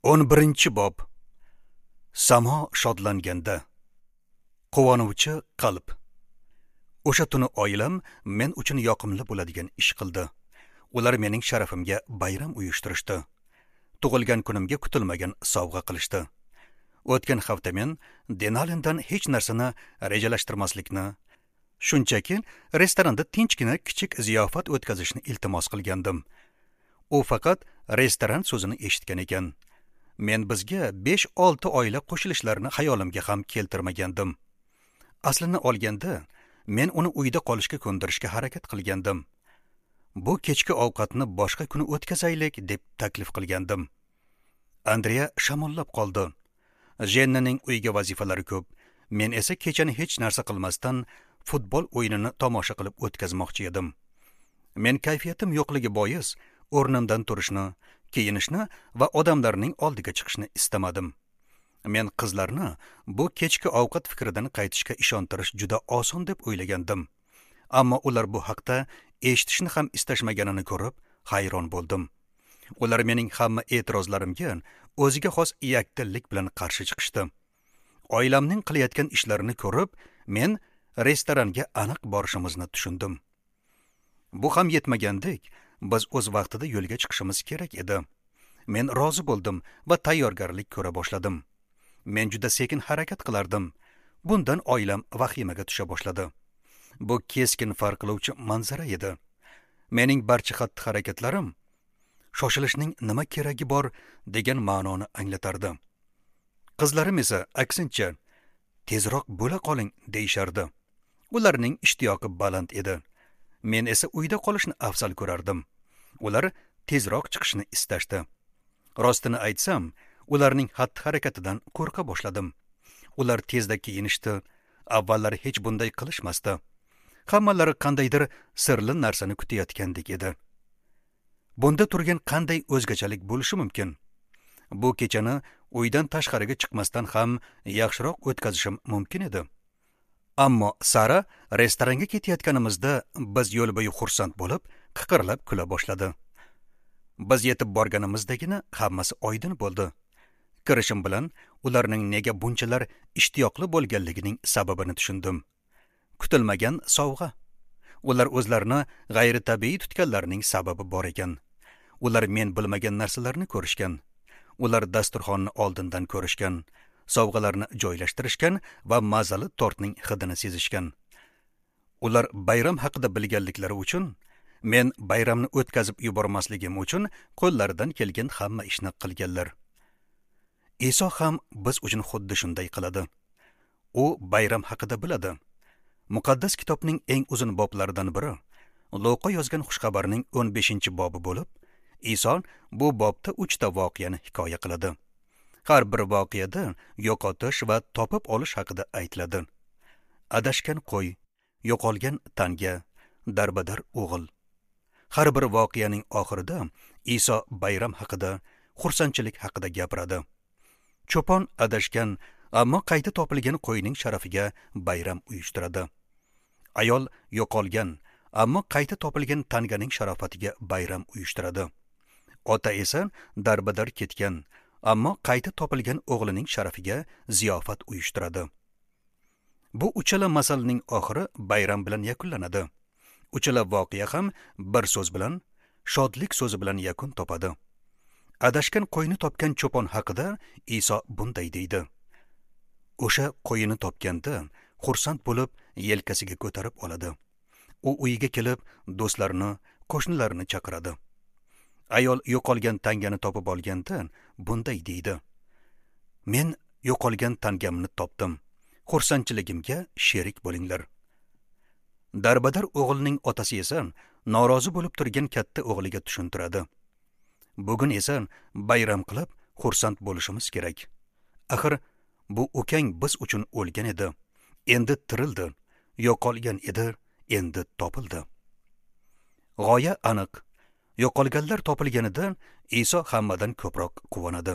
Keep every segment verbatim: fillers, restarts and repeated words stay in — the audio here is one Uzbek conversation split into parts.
O'n birinchi bob. Samo shodlanganda. Quvonuvchi qalb. O'sha tuni oilam men uchun yoqimli bo'ladigan ish qildi. Ular mening sharafimga bayram uyushtirishdi. Tug'ilgan kunimga kutilmagan sovg'a qilishdi. O'tgan hafta men Denalindan hech narsani rejalashtirmaslikni, shunchaki restoranda tinchgina kichik ziyofat o'tkazishni iltimos qilgandim. U faqat restoran so'zini eshitgan ekan. Men bizga besh olti oila qo'shilishlarini xayolimga ham keltirmagandim. Aslini olganda, men uni uyda qolishga ko'ndirishga harakat qilgandim. Bu kechki ovqatni boshqa kuni o'tkazaylik deb taklif qilgandim. Andrea shamollab qoldi. Jennaning uyga vazifalari ko'p. Men esa kechani hech narsa qilmasdan futbol o'yinini tomosha qilib o'tkazmoqchi edim. Men kayfiyatim yo'qligi bois o'rnimdan turishni, kiyinishni va odamlarning oldiga chiqishni istamadim. Men qizlarni bu kechki ovqat fikridan qaytishga ishontirish juda oson deb o'ylagandim. Ammo ular bu haqda eshitishni ham istashmaganini ko'rib hayron bo'ldim. Ular mening hamma e'tirozlarimga o'ziga xos yakdillik bilan qarshi chiqishdi. Oilamning qilayotgan ishlarini ko'rib, men restoranga aniq borishimizni tushundim. Bu ham yetmagandek, biz o'z vaqtida yo'lga chiqishimiz kerak edi. Men rozi bo'ldim va tayyorgarlik ko'ra boshladim. Men juda sekin harakat qilardim. Bundan oilam vahimaga tusha boshladi. Bu keskin farq qiluvchi manzara edi. Mening barcha xatti-harakatlarim shoshilishning nima keragi bor degan ma'noni anglatardi. Qizlarim esa aksincha tezroq bo'la qoling deyishardi. Ularning ishtiyoqi baland edi. Men esa uyda qolishni afzal ko'rardim. Ular tezroq chiqishni istashdi. Rostini aytsam, ularning xatti-harakatidan qo'rqa boshladim. Ular tezda kiyinishdi. Avvallari hech bunday qilishmasdi. Hammalari qandaydir sirli narsani kutayotgandek edi. Bunda turgan qanday o'zgachalik bo'lishi mumkin? Bu kechani uydan tashqariga chiqmasdan ham yaxshiroq o'tkazishim mumkin edi. Ammo Sara restoranga ketayotganimizda biz yo'l bo'yi xursand bo'lib, qiqirlab kula boshladi. Biz yetib borganimizdagina hammasi oydin bo'ldi. Kirishim bilan ularning nega bunchalar ishtiyoqli bo'lganligining sababini tushundim. Kutilmagan sovg'a. Ular o'zlarini g'ayritabiiy tutganlarining sababi bor ekan. Ular men bilmagan narsalarni ko'rishgan. Ular dasturxonni oldindan ko'rishgan, sovg'alarni joylashtirishgan va mazali tortning hidini sezishgan. Ular bayram haqida bilganliklari uchun, men bayramni o'tkazib yubormasligim uchun qo'llaridan kelgan hamma ishni qilganlar. Iso ham biz uchun xuddi shunday qiladi. U bayram haqida biladi. Muqaddas kitobning eng uzun boblaridan biri Luqa yozgan xushxabarning o'n beshinchi bobi bo'lib, Iso bu bobda uchta voqeani hikoya qiladi. Har bir voqeada yo'qotish va topib olish haqida aytiladi. Adashgan qo'y, yo'qolgan tanga, darbadar o'g'il. Har bir voqeaning oxirida Iso bayram haqida, xursandchilik haqida gapiradi. Cho'pon adashgan, ammo qayta topilgan qo'yning sharafiga bayram uyushtiradi. Ayol yo'qolgan, ammo qayta topilgan tanganing sharofatiga bayram uyushtiradi. Ota esa darbadar ketgan, ammo qayta topilgan o'g'lining sharafiga ziyofat uyushtiradi. Bu uchala masalning oxiri bayram bilan yakunlanadi. Uchala voqea ham bir so'z bilan, shodlik so'zi bilan yakun topadi. Adashgan qo'yni topgan cho'pon haqida Iso bunday deydi. O'sha qo'yini topganda xursand bo'lib yelkasiga ko'tarib oladi. U uyiga kelib do'stlarini, qo'shnilarini chaqiradi. Ayol yo'qolgan tangani topib olganda bunday deydi. Men yo'qolgan tangamni topdim. Xursandchiligimga sherik bo'linglar. Darbadar o'g'ilning otasi esa norozi bo'lib turgan katta o'g'liga tushuntiradi. Bugun esa bayram qilib xursand bo'lishimiz kerak. Axir bu ukang biz uchun o'lgan edi, endi tirildi, yo'qolgan edi, endi topildi. G'oya aniq. Yo'qolganlar topilganida Iso hammadan ko'proq quvonadi.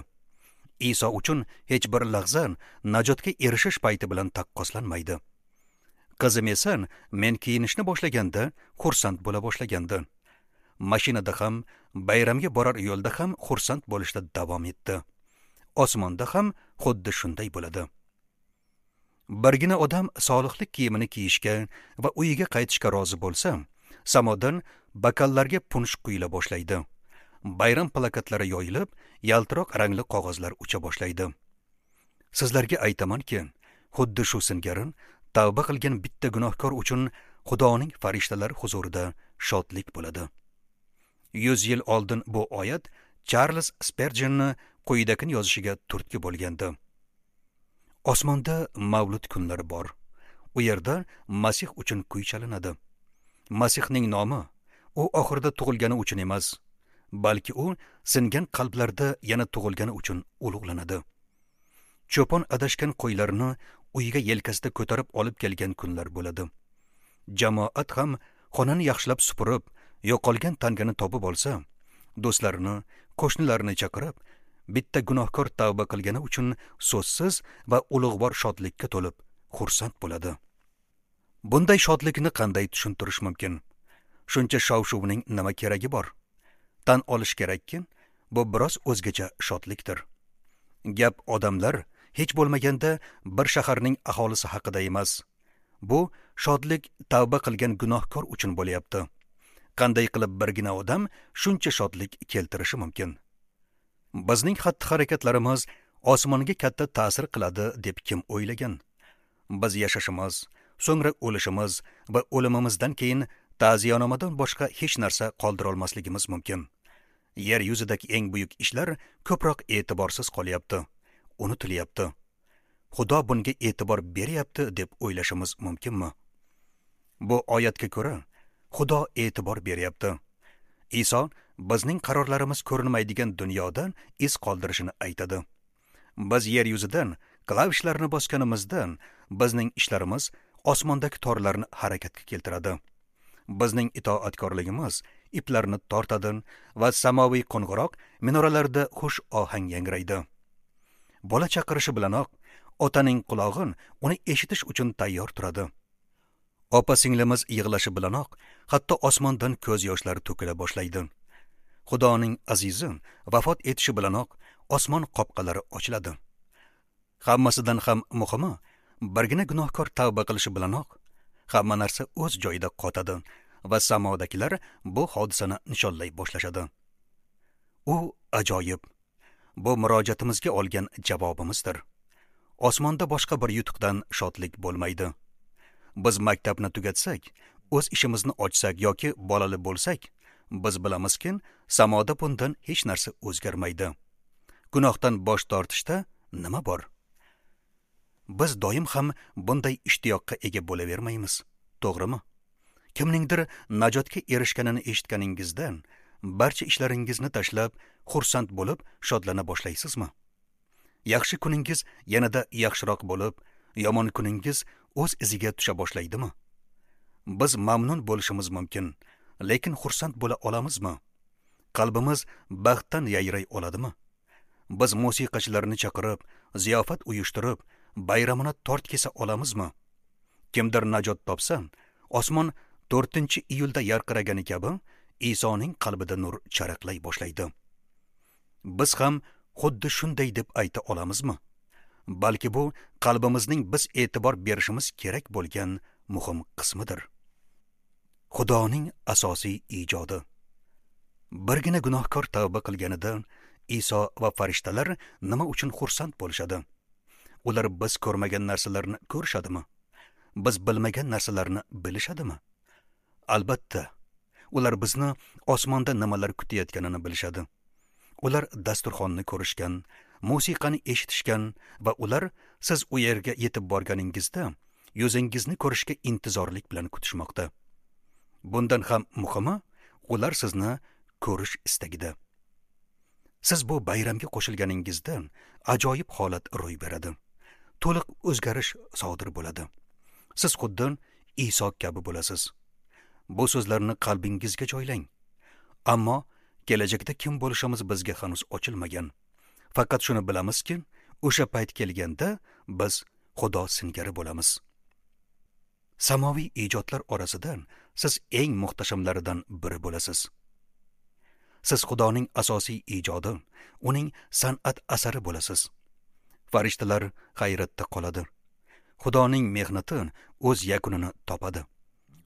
Iso uchun hech bir lahza najotga erishish payti bilan taqqoslanmaydi. Qizim esa men kiyinishni boshlaganda xursand bo'la boshlagandi. Mashinada ham, bayramga borar yo'lda ham xursand bo'lishda davom etdi. Osmonda ham xuddi shunday bo'ladi. Birgina odam solihlik kiyimini kiyishga va uyiga qaytishga rozi bo'lsa, samodan bakallarga punsh quyila boshlaydi. Bayram plakatlari yoyilib, yaltiroq rangli qog'ozlar ucha boshlaydi. Sizlarga aytamanki, xuddi shu singari tavba qilgan bitta gunohkor uchun Xudoning farishtalari huzurida shodlik bo'ladi. Yuz yil oldin bu oyat Charles Sperjenni quyidagini yozishiga turtki bo'lgandi. Osmonda mavlud kunlari bor. U yerda Masih uchun kuy chalinadi. Masihning nomi u oxirida tug'ilgani uchun emas, balki u singan qalblarda yana tug'ilgani uchun ulug'lanadi. Cho'pon adashgan qo'ylarni uyiga yelkasida ko'tarib olib kelgan kunlar bo'ladi. Jamoat ham xonani yaxshilab supurib, yo'qolgan tangani topib olsa, do'stlarini, qo'shnilarini chaqirib, bitta gunohkor tavba qilgani uchun so'zsiz va ulug'vor shodlikka to'lib xursand bo'ladi. Bunday shodlikni qanday tushuntirish mumkin? Shuncha shov-shuvning nima keragi bor? Tan olish kerakki, bu biroz o'zgacha shodlikdir. Gap odamlar hech bo'lmaganda bir shaharning aholisi haqida emas. Bu shodlik tavba qilgan gunohkor uchun bo'lyapti. Qanday qilib birgina odam shuncha shodlik keltirishi mumkin? Bizning xatti-harakatlarimiz osmonga katta ta'sir qiladi deb kim o'ylagan? Biz yashashimiz, so'ngra o'lishimiz va o'limimizdan keyin ta'ziyonomadan boshqa hech narsa qoldira olmasligimiz mumkin. Yer yuzidagi eng buyuk ishlar ko'proq e'tiborsiz qolyapti, unutilyapti. Xudo bunga e'tibor beryapti deb o'ylashimiz mumkinmi? Bu oyatga ko'ra, Xudo e'tibor beryapti. Iso bizning qarorlarimiz ko'rinmaydigan dunyodan iz qoldirishini aytadi. Biz yer yuzidan klavishlarni bosganimizdan bizning ishlarimiz osmondagi torlarni harakatga keltiradi. Bizning itoatkorligimiz iplarni tortadi va samoviy qo'ng'iroq minoralarda xush ohang yangraydi. Bola chaqirishi bilanoq otaning qulog'i uni eshitish uchun tayyor turadi. Opa singlimiz yig'lashi bilanoq hatto osmondan ko'z yoshlari to'kila boshlaydi. Xudoning azizi vafot etishi bilanoq osmon qopqalari ochiladi. Hammasidan ham muhimi, birgina gunohkor tavba qilishi bilanoq hamma narsa o'z joyida qotadi va samodagilar bu hodisani nishonlay boshlashadi. U ajoyib. Bu murojaatimizga olgan javobimizdir. Osmonda boshqa bir yutuqdan shodlik bo'lmaydi. Biz maktabni tugatsak, o'z ishimizni ochsak yoki bolali bo'lsak, biz bilamizki, samoda bundan hech narsa o'zgarmaydi. Gunohdan bosh tortishda nima bor? Biz doim ham bunday ishtiyoqqa ega bo'lavermaymiz, to'g'rimi? Kimningdir najotga erishganini eshitganingizdan barcha ishlaringizni tashlab, xursand bo'lib, shodlana boshlaysizmi? Yaxshi kuningiz yanada yaxshiroq bo'lib, yomon kuningiz o'z iziga tusha boshlaydimi? Biz mamnun bo'lishimiz mumkin, lekin xursand bo'la olamizmi? Qalbimiz baxtdan yayray oladimi? Biz musiqachilarni chaqirib, ziyofat uyushtirib, bayramona tort kesa olamizmi? Kimdir najot topsa, osmon to'rtinchi iyulda yarqiragani kabi Isoning qalbida nur charaqlay boshlaydi. Biz ham xuddi shunday deb ayta olamizmi? Balki bu qalbimizning biz e'tibor berishimiz kerak bo'lgan muhim qismidir. Xudoning asosiy ijodi. Birgina gunohkor tavba qilganida Iso va farishtalar nima uchun xursand bo'lishadi? Ular biz ko'rmagan narsalarni ko'rishadimi? Biz bilmagan narsalarni bilishadimi? Albatta, ular bizni osmonda nimalar kutayotganini bilishadi. Ular dasturxonni ko'rishgan, musiqani eshitishgan va ular siz u yerga yetib borganingizda yuzingizni ko'rishga intizorlik bilan kutishmoqda. Bundan ham muhimi, ular sizni ko'rish istagida. Siz bu bayramga qo'shilganingizda ajoyib holat ro'y beradi. To'liq o'zgarish sodir bo'ladi. Siz xuddi Iso kabi bo'lasiz. Bu so'zlarni qalbingizga joylang. Ammo kelajakda kim bo'lishimiz bizga hanuz ochilmagan. Faqat shuni bilamizki, o'sha payt kelganda biz Xudo singari bo'lamiz. Samoviy ijodlar orasidan siz eng muhtashamlaridan biri bo'lasiz. Siz Xudoning asosiy ijodi, uning san'at asari bo'lasiz. Farishtalar hayratda qoladi. Xudoning mehnati o'z yakunini topadi.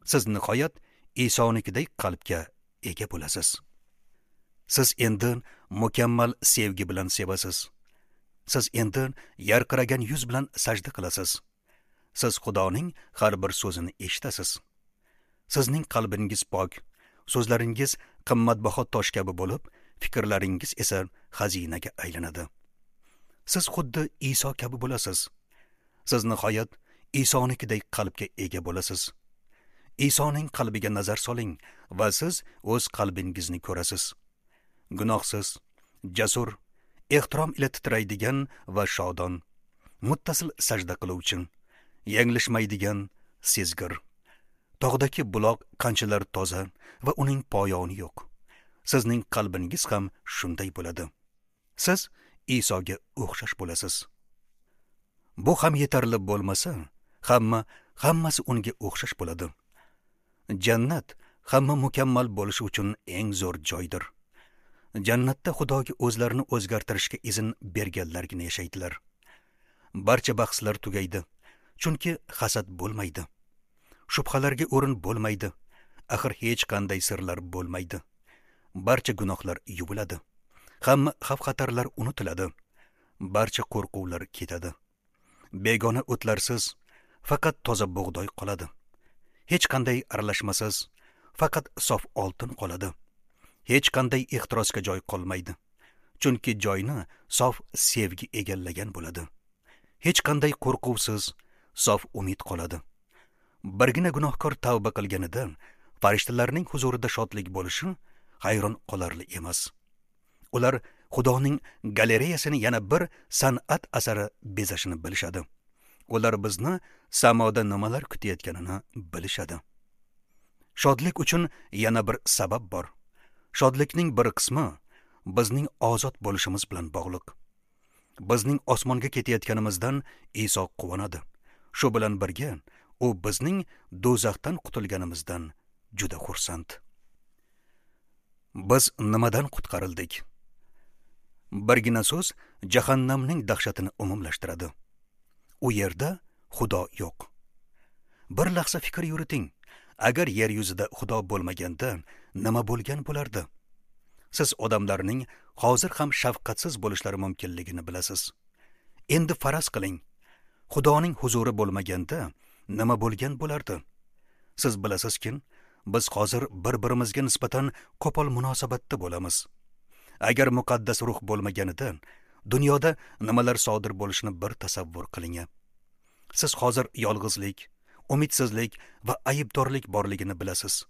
Siz nihoyat Isonikidek qalbga ega bo'lasiz. Siz endi mukammal sevgi bilan sevasiz. Siz endi yarqiragan yuz bilan sajda qilasiz. Siz Xudoning har bir so'zini eshitasiz. Sizning qalbingiz pok, so'zlaringiz qimmatbaho tosh kabi bo'lib, fikrlaringiz esa xazinaga aylanadi. Siz xuddi Iso kabi bo'lasiz. Siz nihoyat Isonikidek qalbga ega bo'lasiz. Isoning qalbiga nazar soling va siz o'z qalbingizni ko'rasiz. Gunohsiz, jasur, ehtirom ila titraydigan va shodon, muttasil sajda qiluvchi, yanglishmaydigan, sezgir. Tog'dagi buloq qanchalar toza va uning poyoni yo'q. Sizning qalbingiz ham shunday bo'ladi. Siz Isoga o'xshash bo'lasiz. Bu ham yetarli bo'lmasa, hamma hammasi unga o'xshash bo'ladi. Jannat hamma mukammal bo'lishi uchun eng zo'r joydir. Jannatda Xudoga o'zlarini o'zgartirishga izn berganlargina yashaydilar. Barcha bahslar tugaydi, chunki hasad bo'lmaydi. Shubhalarga o'rin bo'lmaydi. Axir hech qanday sirlar bo'lmaydi. Barcha gunohlar yuviladi. Hamma xavf-xatarlar unutiladi. Barcha qo'rquvlar ketadi. Begona o'tlarsiz faqat toza bug'doy qoladi. Hech qanday aralashmasiz faqat sof oltin qoladi. Hech qanday ehtirosga joy qolmaydi. Chunki joyni sof sevgi egallagan bo'ladi. Hech qanday qo'rquvsiz sof umid qoladi. Birgina gunohkor tavba qilganida farishtalarning huzurida shodlik bo'lishi hayron qolarli emas. Ular Xudoning galereyasini yana bir san'at asari bezashini bilishadi. Ular bizni samoda nimalar kutayotganini bilishadi. Shodlik uchun yana bir sabab bor. Shodlikning bir qismi bizning ozod bo'lishimiz bilan bog'liq. Bizning osmonga ketayotganimizdan Iso quvonadi. Shu bilan birga u bizning do'zaxdan qutulganimizdan juda xursand. Biz nimadan qutqarildik? Birgina so'z jahannamning dahshatini umumlashtiradi. U yerda Xudo yo'q. Bir lahza fikr yuriting. Agar yer yuzida Xudo bo'lmaganda nima bo'lgan bo'lardi? Siz odamlarning hozir ham shafqatsiz bo'lishlari mumkinligini bilasiz. Endi faraz qiling. Xudoning huzuri bo'lmaganda nima bo'lgan bo'lardi? Siz bilasizki, biz hozir bir-birimizga nisbatan qo'pol munosabatda bo'lamiz. Agar muqaddas ruh bo'lmaganida dunyoda nimalar sodir bo'lishini bir tasavvur qiling. Siz hozir yolg'izlik, umidsizlik va aybdorlik borligini bilasiz.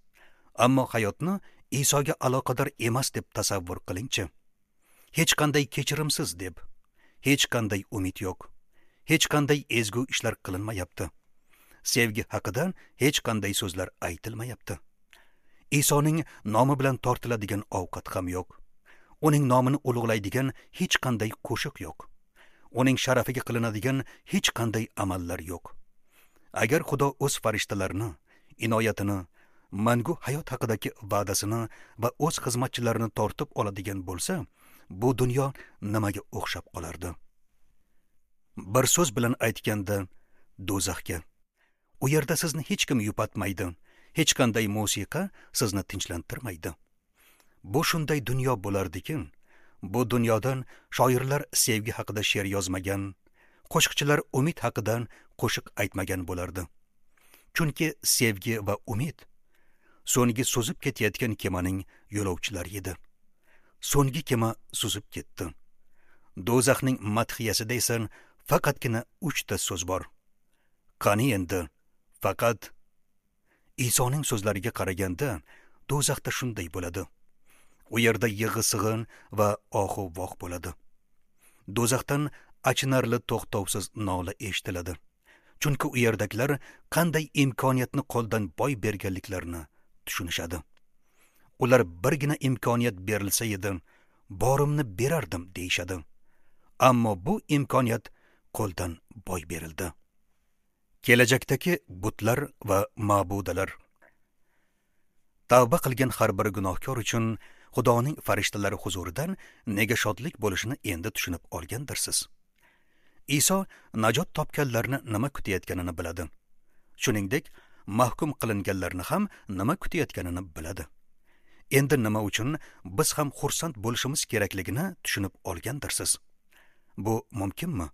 Ammo hayotni Isoga aloqador emas deb tasavvur qilingchi. Hech qanday kechirimsiz deb, hech qanday umid yo'q. Hech qanday ezgu ishlar qilinmayapti. Sevgi haqida hech qanday so'zlar aytilmayapti. Isoning nomi bilan tortiladigan ovqat ham yo'q. Uning nomini ulug'laydigan hech qanday qo'shiq yo'q. Uning sharafiga qilinadigan hech qanday amallar yo'q. Agar Xudo o'z farishtalarini, inoyatini, mangu hayot haqidagi va'dasini va o'z xizmatchilarini tortib oladigan bo'lsa, bu dunyo nimaga o'xshab qolardi? Bir so'z bilan aytganda, do'zaxga. U yerda sizni hech kim yupatmaydi, hech qanday musiqa sizni tinchlantirmaydi. Bu shunday dunyo bo'lardiki, bu dunyodan shoirlar sevgi haqida she'r yozmagan, qo'shiqchilar umid haqida qo'shiq aytmagan bo'lardi. Chunki sevgi va umid so'nggi suzib ketayotgan kemaning yo'lovchilari edi. So'nggi kema suzib ketdi. Do'zaxning madhiyasida esa faqatgina uchta so'z bor. Qani endi faqat Isoning so'zlariga qaraganda do'zaxda shunday bo'ladi. U yerda yig'i-sig'in va ohu voh bo'ladi. Do'zaxdan achinarli to'xtovsiz nola eshitiladi. Chunki u yerdagilar qanday imkoniyatni qo'ldan boy berganliklarini tushunishadi. Ular birgina imkoniyat berilsa edi, borimni berardim deyishadi. Ammo bu imkoniyat qo'ldan boy berildi. Kelajakdagi butlar va ma'budalar. Tavba qilgan har bir gunohkor uchun Xudoning farishtalari huzuridan nega shodlik bo'lishini endi tushunib olgandirsiz. Iso najot topganlarni nima kutayotganini biladi. Shuningdek, mahkum qilinganlarni ham nima kutayotganini biladi. Endi nima uchun biz ham xursand bo'lishimiz kerakligini tushunib olgandirsiz. Bu mumkinmi?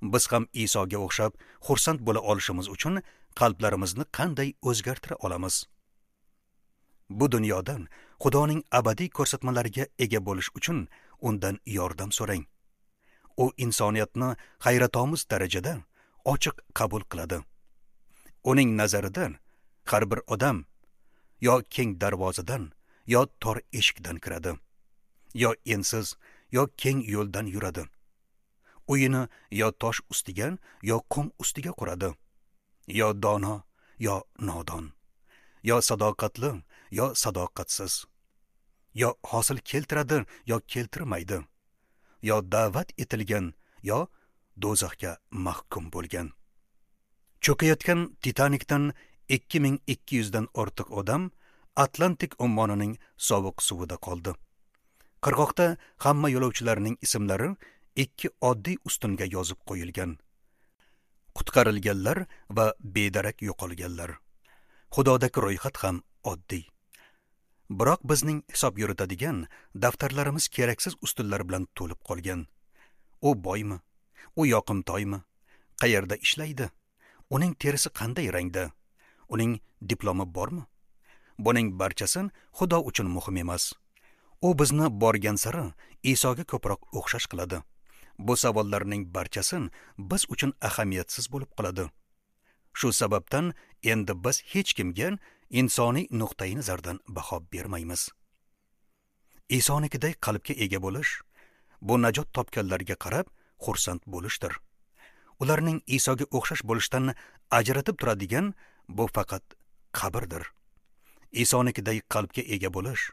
Biz ham Isoga o'xshab xursand bo'la olishimiz uchun qalblarimizni qanday o'zgartira olamiz? Bu dunyodan Xudoning abadiy ko'rsatmalariga ega bo'lish uchun undan yordam so'rang. U insoniyatni hayratomuz darajada ochiq qabul qiladi. Uning nazarida har bir odam yo keng darvozadan, yo tor eshikdan kiradi, yo ensiz, yo keng yo'ldan yuradi. Uyini yo tosh ustiga, yo qum ustiga quradi. Yo dono, yo nodon, yo sadoqatli, yo sadoqatsiz, yo hosil keltiradi, yo keltirmaydi, yo da'vat etilgan, yo do'zaxga mahkum bo'lgan. Cho'kayotgan Titanikdan ikki ming ikki yuzdan ortiq odam Atlantik ummonining sovuq suvida qoldi. Qirg'oqda hamma yo'lovchilarning ismlari ikki oddiy ustunga yozib qo'yilgan. Qutqarilganlar va bedarak yo'qolganlar. Xudodagi ro'yxat ham oddiy. Biroq bizning hisob yuritadigan daftarlarimiz keraksiz ustunlar bilan to'lib qolgan. U boymi? U yoqimtoymi? Qayerda ishlaydi? Uning terisi qanday rangda? Uning diplomi bormi? Buning barchasi Xudo uchun muhim emas. U bizni borgan sari Isoga ko'proq o'xshash qiladi. Bu savollarning barchasi biz uchun ahamiyatsiz bo'lib qoladi. Shu sababdan endi biz hech kimga insoniy nuqtai nazardan baho bermaymiz. Isonikiday qalbga ega bo'lish, bu najot topganlarga qarab xursand bo'lishdir. Ularning Isoga o'xshash bo'lishdan ajratib turadigan bu faqat qabrdir. Isonikiday qalbga ega bo'lish,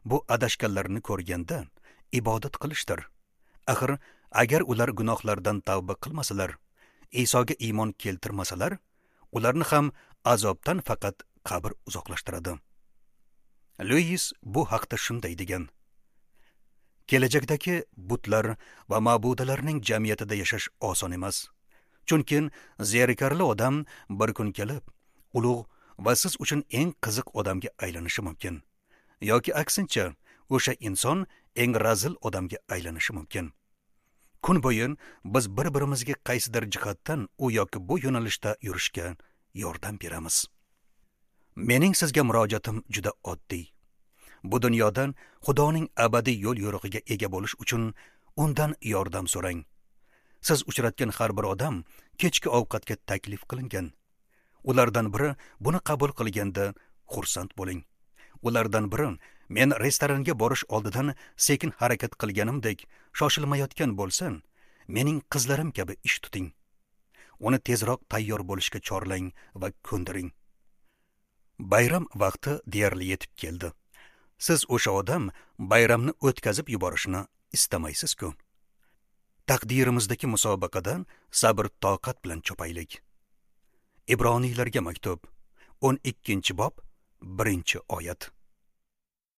bu adashganlarni ko'rganda ibodat qilishdir. Axir agar ular gunohlardan tavba qilmasalar, Isoga iymon keltirmasalar, ularni ham azobdan faqat qabr uzoqlashtiradi. Lewis bu haqda shunday degan: Kelajakdagi butlar va ma'budalarning jamiyatida yashash oson emas. Chunki zerikarli odam bir kun kelib, ulug' va siz uchun eng qiziq odamga aylanishi mumkin. Yoki aksincha, o'sha inson eng razil odamga aylanishi mumkin. Kun bo'yi biz bir-birimizga qaysidir jihatdan u yoki bu yo'nalishda yurishga yordam beramiz. Mening sizga murojaatim juda oddiy. Bu dunyodan Xudoning abadiy yo'l yo'rig'iga ega bo'lish uchun undan yordam so'rang. Siz uchratgan har bir odam kechki ovqatga taklif qilingan. Ulardan biri buni qabul qilganda xursand bo'ling. Ulardan biri men restoranga borish oldidan sekin harakat qilganimdek shoshilmayotgan bo'lsin, mening qizlarim kabi ish tuting. Uni tezroq tayyor bo'lishga chorlang va ko'ndiring. Bayram vaqti deyarli yetib keldi. Siz o'sha odam bayramni o'tkazib yuborishini istamaysiz-ku. Taqdirimizdagi musobaqadan sabr toqat bilan chopaylik. Ibroniylarga maktub, o'n ikkinchi bob, birinchi oyat.